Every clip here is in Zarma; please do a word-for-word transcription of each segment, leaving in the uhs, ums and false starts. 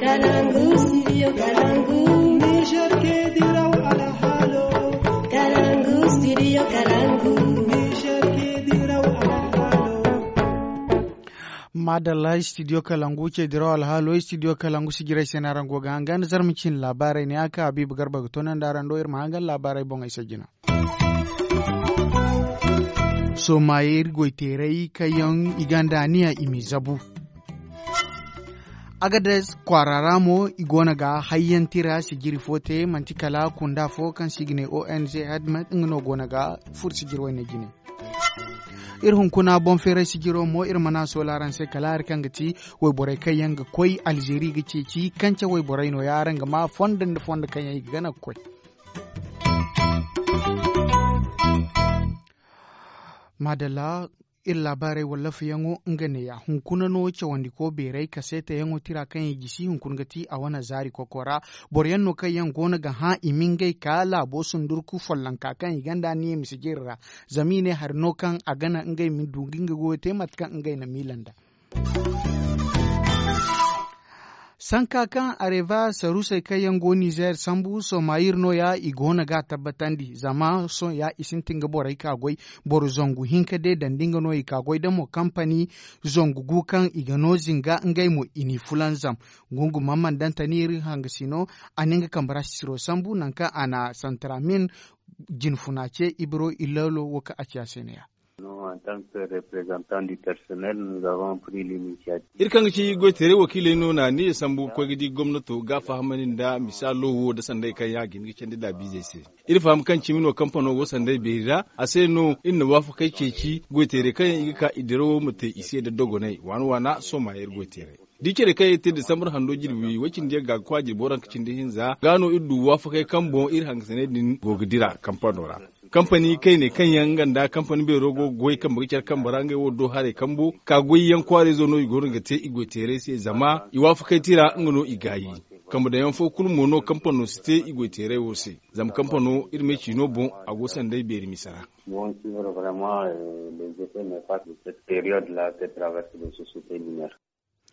Kalangu, studio Kalangu. Niger ke diraw alhalo. Kalangu, studio Kalangu. Niger ke diraw alhalo. Madalla, studio Kalangu ce diraw alhalo, studio Kalangu si jiray se no araŋ go ga hangan zarma cin laabaarey ne a ka Habiibu Garba ga toonandi araŋ do iri ma hangan laabaarey boŋey se jina. Sohõ maaye iri goy teeray kaŋ yaŋ i gonda aniya i m'i zabu. Agades kwaara ra mo i goono ga hayyaŋ tira sijiri fo te manti kala kunda fo kaŋ se i ga ne ong hadmet nga no goono ga furo sijiri wayne jine. Iri hunkuna boŋ feeray sijiro mo iri mana soola araŋ se kala hari kaŋ ga ti wayborey kaŋ yaŋ ga koy alzeeri ga ceeci kance wayborey no- ya araŋ ga ma fondo nda fondo kaŋ yaŋ i ga gana ga koy. Maadalla. Iri laabaarey wallafayaŋo nga neeya hunkuna no cawandiko beeray kaseetayaŋo tira kaŋ i gisi hunkuna ga ti a wane zaari koko ra. Boro yaŋ no kaŋ yaŋ goono ga hã i ma ngey ka laabo sundurku follonka kaŋ i gonda niya mise jiri ra. Zama i ne hari no kaŋ a gana ngey ma du ga nga goyo te mate kaŋ ngey na miila nd'a. Sanka kaŋ areva sarusey kaŋ yaŋ go nizeer sambu somayir no- ya i goono ga a tabbatandi zama sohõ ya i sintin ga borey ka goy. Boro zangu hinka day dandi nga no i ka goy da mo kampani zangu gu kaŋ i ga no zinga ngey mo i n'i fulanzam. Gungu mamman dantani iri hangasino a na nga kambe ra sisiro sambu nangu kaŋ a na santramin jinfuna ce ibiro ilalo wo kaŋ a ci a se ne- ya. Iri kaŋ ga ci goy teeray wakiiley no na ni sambu ga koy ga di gomnato ga fahamandi nda misaalo wo nda sanday kaŋ ya ga hin ga candi laabiizey se. Iri faham kaŋ cimi no kampano go sanday beeri ra a se no iri na waafakey ceeci goy teeray kaŋ yaŋ i ga ka i dirawo ma te i se nda dogonay waana waana sohõ ma ya iri goy teeray. Da i care kaŋ yaŋ i te disambar hando jirbi way cindi yaŋ ga ga kwaajir boro hanka cindi hinza ga no iri du waafakey kaŋ boŋ iri hangasanay din go ga dira kampano ra. Kampani kayne kaŋ yaŋ nga nda kampani beero go ga goy kambe ga care kambe ra ngey wo do haray kambo ka goyyaŋ kwaarayzo no i goono ga te i goyteeray se zama i waafakay tira nga no i gaayi. Kambe daŋyaŋ fo kulu mo no kampano si te i goyteeray wo se. Zama kampano iri me ciino boŋ a go sanday beeri misa ra.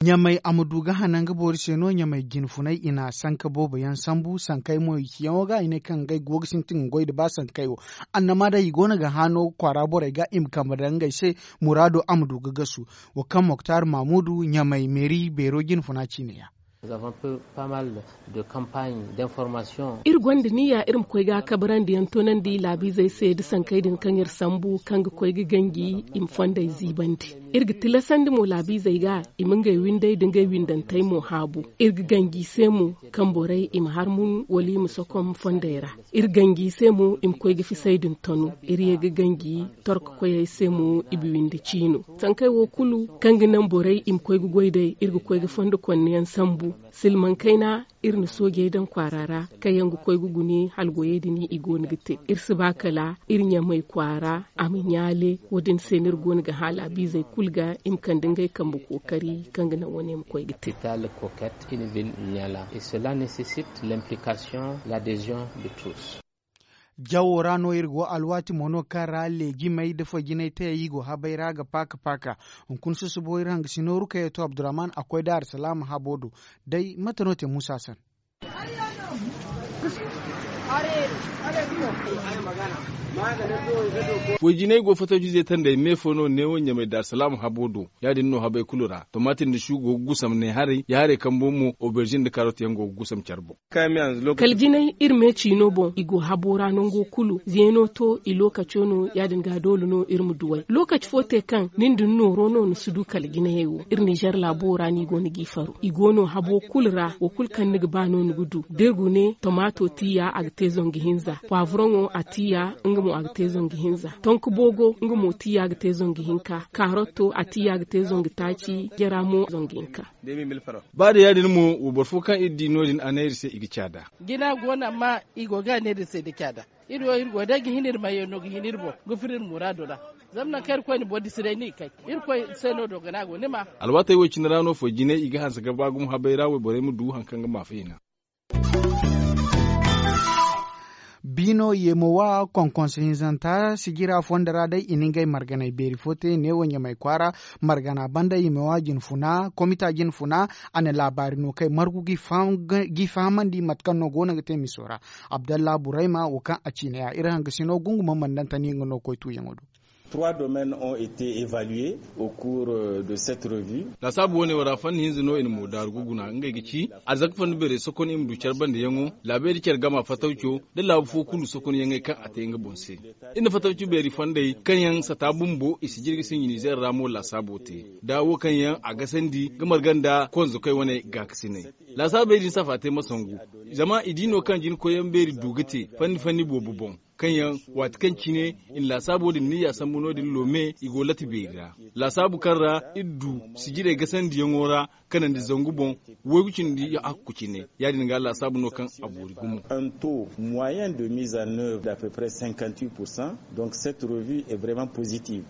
Ɲamay a ma du ga hana nga boori se no ɲamay jinfunay i na sanka boobo yaŋ sambu sankay mo i ciyaŋo ga i ne kaŋ ngey go ga sintin ga goy nda ba sankay wo. Annama day i go no ga hano kwaara borey ga i ma kambe daŋ ngey se muraado a ma du ga gasu. Wo kaŋ moktar mamudu ɲamay meeri beero jinfuna ciine ya. Iri gonda niya iri ma koy ga kabarandiyaŋ toonandi laabiizey se nda sankey din kaŋ iri sambu kaŋ ga koy ga ganji i ma fondey ziibandi. Iri ga tilasandi mo laabiizey ga i ma ngey windey nda ngey windantey mo haabu. Iri ga ganji i se mo kaŋ borey i ma harmun wala i ma sokom fondey ra. Iri ganji i se mo i ma koy ga fisey din tanu. Iri ye ga ganji torkokoyey se mo i bi windi ciino. Sankey wo kulu kaŋ ga naŋ borey i ma koy ga goy day iri ga koy ga fondo konneyaŋ sambu. Silmaŋ kayna iri na soojey daŋ kwaara ra kaŋ yaŋ ga koy ga gune hala goyey din i go no ga te. Iri si ba kala iri ɲamay kwaara a ma ɲaale. Wo- din se no iri go no ga hã laabiizey kulu ga i ma kande ngey kambe kookari kaŋ ga naŋ wane ma koy ga te. Jawo ra no iri go alwaati mo no kaŋ ra leejimey nda fajinay tayey i go habay ra ga paaka paaka. Hunkuna susubo iri hangasino rukayya to abdurrahman a koy da arsalaama habo do. Day mate no te muusa san? Foy jinay go fataw jize tandey me fo no neewo ɲamay da arsalaama habo do. Ya- din no habay kulu ra tomati nda su go ga gusam ne haray ya haray kambo mo oberzin nda karot yaŋ go ga gusam care boŋ. Kala jinay iri me ciino boŋ i go habo ra nango kulu zeeno to i lookaco no ya- din ga doole no iri ma duw'ey lookaci fo te kaŋ nin din nooro no ni si du kala jinayey wo iri ninzeer laabo ra no i go no g'i faro i go no habo kulu ra wo kulu kaŋ ni ga ba no ni ga du da iri gune tomaato tiiya a ga te zangu hinza paaburoŋo a tiiya nga mo a ga te zangu hinza tonku boogo nga mo tiiya ga te zangu hinka kaarotto a tiiya ga te zangu taaci jara mo zangu hinka. Ba da ya- din mo wayboro fo kaŋ iri di no- din a ne iri se i ga caada. Jina go no amma i go ga ne iri se nda caada. Iri wo iri go day ga hin iri mayey no ga hin iri boŋ ga furo iri muraado ra. Zama nangu kaŋ iri koy na boro disi day no i kay iri koy se no doogana go ni ma. Alwaatey wo- cine ra no foy jinay i ga hanse ga ba gumo habay ra wayborey ma du hari kaŋ ga maafa hina. Biino yeemo wa konkonso hinzanta sijira fondo ra day i na ngey marganey beeri fo te neewo ɲamay kwaara. Margana banda yeemo wa jinfuna komita jinfuna. A na laabaari no kay margu g'i fahamandi mate kaŋ no go no ga te miso ra. Abdalla burayma wo kaŋ a ciine ya iri hangasino gunguma mandantani nga no koy tuuyaŋo do. Laasaabu wane wo ra fanni hinza no i na mo daaru ga guna ngey ga ci arzaka fanni beerey sokon i ma du care bandayaŋo laabey da care gama fatawco nda laabu fo kulu sokonyaŋey kaŋ a te nga boŋ se. Iri na fatawci beeri fondey kaŋ yaŋ sata bumbo i si jirga sinji nizeer ra mo laasaabo te nda wo kaŋ yaŋ a gasandi ga marga nda konzokoy wane gaakasinay. Laasaabey din safa te ma sangu zama i di no kaŋ jinkoyyaŋ beeri du ga te fanni fanni boobo boŋ kaŋ yaŋ waati kaŋ cine i na laasaabo din niyya sambu no- din loome i go lati beeri ra. Laasaabu kaŋ ra iri du sijirey gasandiyaŋo ra kanandi zangu boŋ waygu cindi hakku cine ya- din ga laasaabu no kaŋ a boori gumo. Moyen de mise en œuvre d'à peu près cinquante huit pour cent. Donc cette revue est vraiment positive.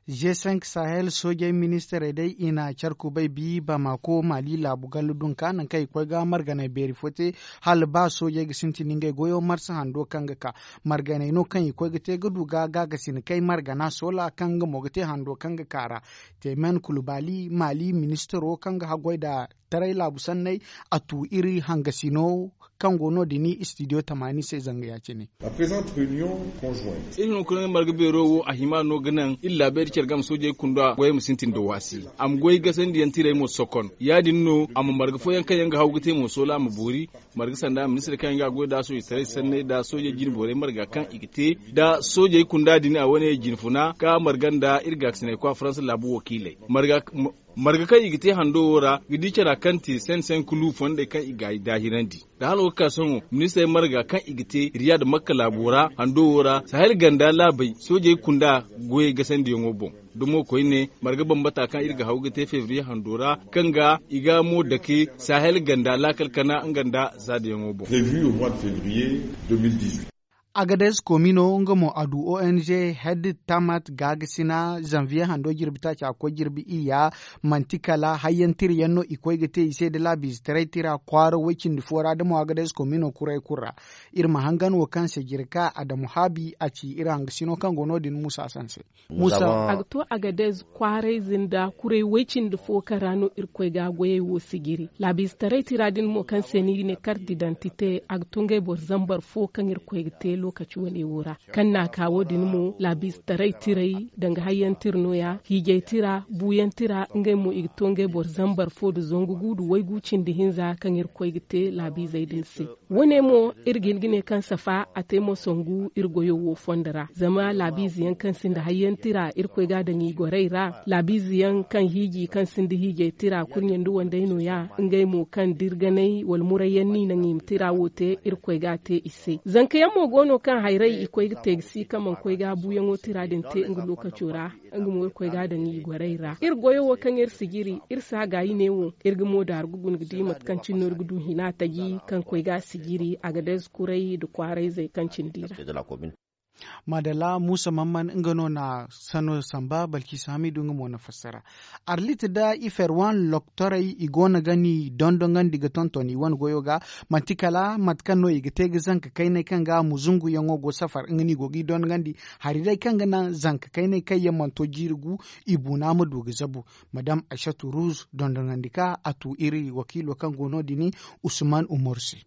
G cinq sahel soojey ministirey day i na care kubay bi bamako mali laabu gallu dunka nangu kaŋ i koy ga marganey beeri fo te hala ba soojey ga sintin ngey goyo marsa hando kaŋ ga ka marganey no kaŋ i koy ga te ga du ga gaagasin kay margana soola kaŋ nga mo ga te hando kaŋ ga ka ra. Teemen kulu baali maali ministiro kaŋ ga haggoy nda taray laabu sanney a tu iri hangasino kaŋ go no- din istidiyo tamaani se zanga ya- cine. Iri hunkuna marga beero wo a hima no ga naŋ iri laabey da care game soojey kunda goyey ma sintin nda waasi a ma goy gasandiyaŋ tirey mo sokon ya- din no a ma marga fooyaŋ kaŋ yaŋ ga haw ga te mo soola a ma boori. Marga sanda ministir kaŋ yaŋ ga a goy nda soojey taray sanney nda soojey jine boorey marga kaŋ i ga te nda soojey kunda din a wane jinfuna ka marga nda iri gaakasiney kwa faransa laabu wakiiley. Marga kaŋ i ga te hando wo ra ga di cara kaŋ te sen sen kulu fondey kaŋ i ga ay daahirandi nda hala wo ga ka sohõ ministirey marga kaŋ i ga te riyad makka laabo ra hando wo ra sahel ganda laabey soojey kunda goyey gasandiyaŋo boŋ. Dumo koyne marga bambata kaŋ iri ga haw ga te febriye hando ra kaŋ ga i ga mo dake sahel ganda laakal kana nga nda zaadayaŋo boŋ. Agades komino nga mo a du ong hedde tamat gaagasina zanviye hando jirbi taaci a ga koy jirbi iyya. Manti kala hayyantiryaŋ no i koy ga te i se nda laabiizetaray tira kwaara woy-cindi fo ra da mo agades komino kuray kulu ra. Iri ma hangan wo kaŋ se jirka adamu haabi a ci iri hangasino kaŋ go no- din muusa sanse. A ga to agadez kwaarayze nda kuray way-cindi fo kaŋ ra no irkoy ga goyey wo sijiri laabiizetaray tira din mo kaŋ se ni ga ne kart didantite a ga to ngey boro zambar fo kaŋ irkoy ga te lookaci wane wo ra. Kaŋ n'a ka wo- din mo laabiizetaray tiray danga hayyaŋ tira no- ya hiijay tira buuyaŋ tira ngey mo i ga to ngey boro zambar fo nda zangu gu nda waygu cindi hinza kaŋ irkoy ga te laabiizey din se. Wo- ne mo iri ga hin ga ne kaŋ safa a te mo sangu iri goyo wo fondo ra zama laabiize yaŋ kaŋ sinda hayyaŋ tira irkoy ga a daŋ i gorey ra laabiize yaŋ kaŋ hiiji kaŋ sinda hiijay tira kurɲe nda wandey no- ya. Ngey mo kaŋ dirganay wala murayyaŋ no i naŋ i ma tira wo te irkoy ga a te i se. Zanka yaŋ mo go no kaŋ hayray i koy ga te ga si kaŋ mana koy ga buuyaŋo tira din te nga lookaco ra. Nga mo irkoy ga a daŋ i gorey ra iri goyo wo kaŋ iri sijiri iri si a gaayi ne wo. Iri ga mo daaru ga guna ga di mate kaŋ cine no iri ga du hina taji kaŋ koy ga a sijiri agadez kuray nda kwaarayzey kaŋ cindi ra. Maadalla muusa mamman nga no na sano samba balkiisa hamidu nga mo na fassara. Arlit nda iferwan loktorey i go no ga ni dondonandi ga tonton i wane goyo ga. Manti kala mate kaŋ no i ga te ga zanka kayney kaŋ ga muzunguyaŋo go safar nga no i go g'i dondonandi. Hari day kaŋ ga naŋ zanka kayney kaŋ yaŋ mana to jiiri gu i buuna ma du ga zabu. Madam aysatu ruz dondonandi ka a tu iri wakiilo kaŋ go no- din usman umar se.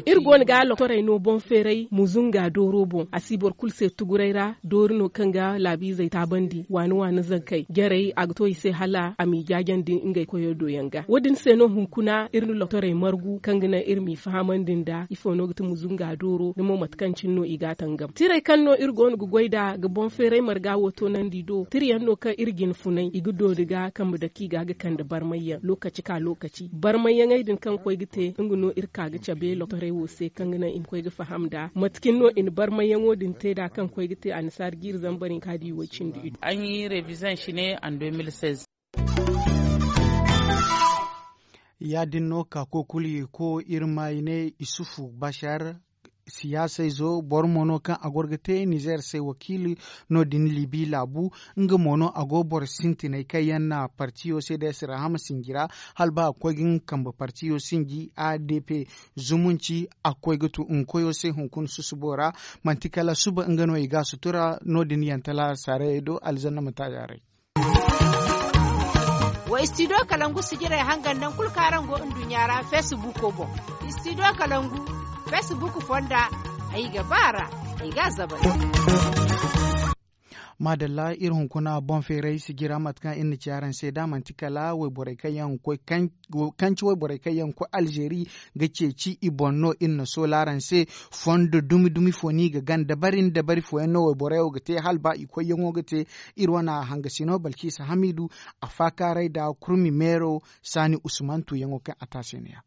Iri go no ga loktorey no boŋ feeray muzunga dooro boŋ a si boro kulu se tuguray ra doori no kaŋ ga laabiizey taabandi waani waani zankey jarey a ga to i se hala a m'i jaajandi ngey koyo do yaŋ ga wo- din se no hunkuna iri na loktorey margu kaŋ ga naŋ iri m'i fahamandi nda ifo no ga ti muzunga dooro da mo mate kaŋ cine no i ga a tangam tirey kaŋ no iri go no ga goy nd'a ga boŋ feeray marga wo toonandi do tira yaŋ no kaŋ iri jinfunay i ga doori ga kambe dake i ga ga kande barmayyaŋ lookaci ka lookaci barmayyaŋey din kaŋ koy ga te nga no iri ka ga cabe loktorey wo se kaŋ ga naŋ i ma koy ga faham nd'a mate cine no i na barmayyaŋo din te nd'a kaŋ koy ga te annasaara jiiri zambar hinka da i way cindi iddu. Ya- din no ka koy kulu i ko iri ma i ne isufu bashar. siyaasayzo boro mo no kaŋ a goro ga te nizeer se wakiili. No- din libi laabu nga mo no a go boro sintinay kaŋ yaŋ na partiyo se da ya si rahama sinji ra. Hala ba a ga koy ga nga kambe partiyo sinji a d p zumunci a ga koy ga tu nga koyo se hunkuna susubo ra. Manti kala suba nga no i ga a sutura no- din yaŋ tala saarayey do alzanna ma taajaarey. Wa istidiyo kalangu sijirey hangan naŋ kulu kaŋ araŋ go nduɲɲa ra feesibuuko boŋ. Istidiyo kalangu feesibuuku fonda ay ga ba a ra ay ga a zabay. Maadalla iri hunkuna boŋ feeray sijira mate kaŋ iri na ci araŋ se da manti kala wayborey kaŋ yaŋ koy kanci wayborey kaŋ yaŋ koy alzeeri ga ceeci i boŋ no iri na soola araŋ se. Fondo dumi dumi fo no i ga gana dabari nda dabari fooyaŋ no wayborey wo ga te hala ba i koyyaŋo ga te. Iri wane hangasino balkisa hamiidu a faakaaray nda kurmi meero saani usman tuuyaŋo kaŋ a te a se no- ya.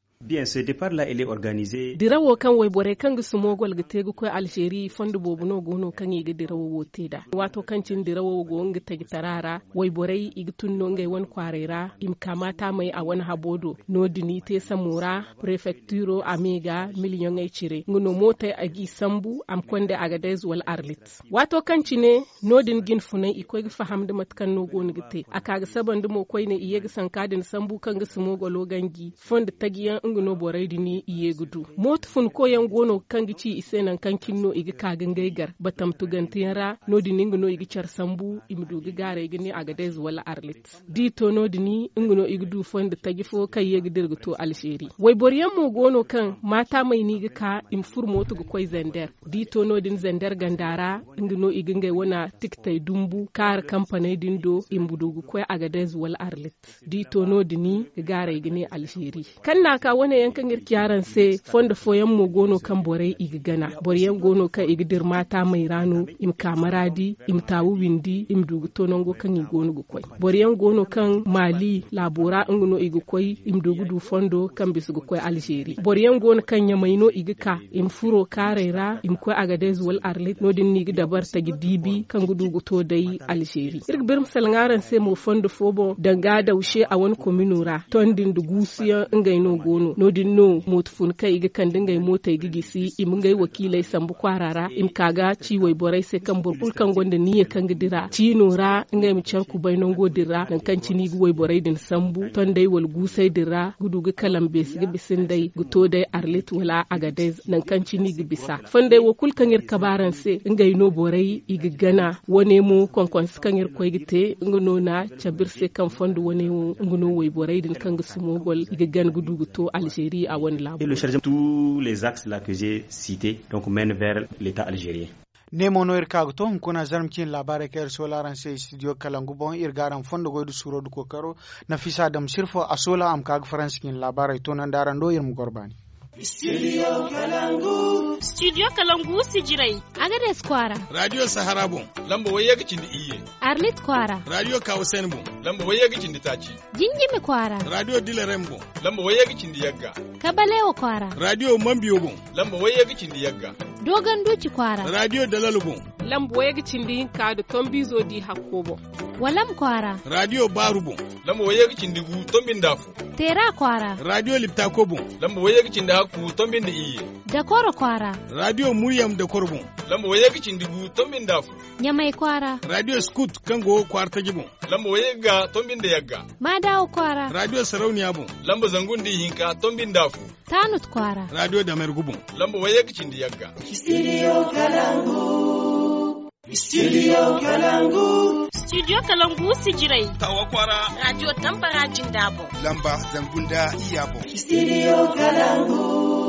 Dirawo kaŋ wayborey kaŋ ga sumogol ga te ga koy alzeeri fondo boobo no go no kaŋ i ga dirawo wo te nd'a. Waato kaŋ cine dirawo go nga tajitara ra wayborey i ga tun no ngey wane kwaaray ra i ma ka maataamey a wane habo do. No- din i te samo ra prefektiro a me ga miliyoŋey cire nga no mootey a g'i sambu a ma konda agadez wala arlit. Waato kaŋ cine no- din jinfunay i koy ga faham nda mate kaŋ no go no ga te a ka ga saba nda mo koyne i ye ga sanka din sambu kaŋ ga sumogolo ganji fondo taji yaŋ nga no borey din i ye ga du. Mooto funko yaŋ go no kaŋ ga ci i se nangu kaŋ cine no i ga ka ga ngey gar batam tugante yaŋ ra. No- din nga no i ga care sambu i ma du ga gaaray ga ne agadez wala arlit. Da i to no- din nga no i ga du fondo taji fo kaŋ ye ga dira ga to alzeeri. Wayboro yaŋ mo go no kaŋ maataamey no i ga ka i ma furo mooto ga koy zander. Da i to no- din zander ganda ra nga no i ga ngey wane tikitey dumbu kaara kampaney din do i ma du ga koy agadez wala arlit. Da i to no- din ga gaaray ga ne alzeeri. Kaŋ na a ka wane yaŋ kaŋ iri ci araŋ se fondo fooyaŋ mo go no kaŋ borey i ga gana. Boro yaŋ go no kaŋ i ga dira maataamey ra no i ma ka maraadi i ma taawu windi i ma du ga to nango kaŋ i go no ga koy. Boro yaŋ go no kaŋ maali laabo ra nga no i ga koy i ma du ga du fondo kaŋ bisa ga koy alzeeri. Boro yaŋ go no kaŋ ɲamay no i ga ka i ma furo kaaray ra i ma koy agadez wala arlit no- din no i ga dabari taji diibi kaŋ ga du ga to day alzeeri. Iri ga biri ma salaŋ araŋ se mo fondo fo boŋ danga dawse a wane komino ra tondi nda guusuyaŋ ngey no go no. No- din no mooto fun kaŋ i ga kande ngey mootey ga gisi i ma ngey wakiiley sambu kwaara ra i ma ka ga ci wayborey se kaŋ boro kulu kaŋ gonda niyya kaŋ ga dira ciino ra ngey ma care kubay nango din ra nangu kaŋ cine i ga wayborey din sambu tondey wala guusey din ra ga du ga kalam beesi ga bisa nd'ey ga to day arlit wala agadez nangu kaŋ cine i ga bisa. Fondey wo kulu kaŋ iri kabe araŋ se ngey no borey i ga gana wane mo konkonse kaŋ iri koy ga te nga no na cabe iri se kaŋ fondo wane wo nga no wayborey din kaŋ ga sumogol i ga gana ga du ga to alzeeri a wane laabo. Tous les axes là que j'ai cités donc mènent vers l'état algérien. Ne mo no iri ka ga to hunkuna zarma cine laabaarey kaŋ iri soola araŋ se studio kalangu boŋ iri ga araŋ fondo goy da suuro da kookaro. Nafisa dam sirfo a soola a ma ka ga faransi cine laabaarey toonandi araŋ do iri ma goro baani. Studio kalangu sijirey. Agades kwaara. Radio sahara boŋ. Lamba wayye ga cindi iyye. Arlit kwaara. Radio kawasen boŋ. Lamba wayye ga cindi taaci. Jinjimi kwaara. Radio dilarem boŋ. Lamba wayye ga cindi yagga. Kabalewa kwaara. Radio mambiyo boŋ. Lamba wayye ga cindi yagga. Dogon duci kwaara. Radio dalalo boŋ. Lamba wayye ga cindi hinka da tombizo di hakko boŋ. Walam kwaara. Radio baaru boŋ. Lamba wayye ga cindi gu tombi nda fo. Teera kwaara. Radio liptako boŋ. Lamba wayye ga cindi hakku tombi nda iyye. Dakoro kwaara. Radio muryam dakoro boŋ. Lamba wayye ga cindi gu tombi nda fo. Ɲamay kwaara. Radio scout kaŋ go kwaara taji boŋ. Lamba wayye ga tombi nda yagga. Maadawa kwaara. Radio sarauniya boŋ. Lamba zangu nda ihinka tombi nda fo. Tanut kwaara. Radio damergu boŋ. Lamba wayye ga cindi yagga. Studio kalangu. Studio kalangu. Studio kalangu sijirey. Tawa kwaara. Radio tambara jinda boŋ. Lamba zangu nda iyya boŋ. Studio kalangu.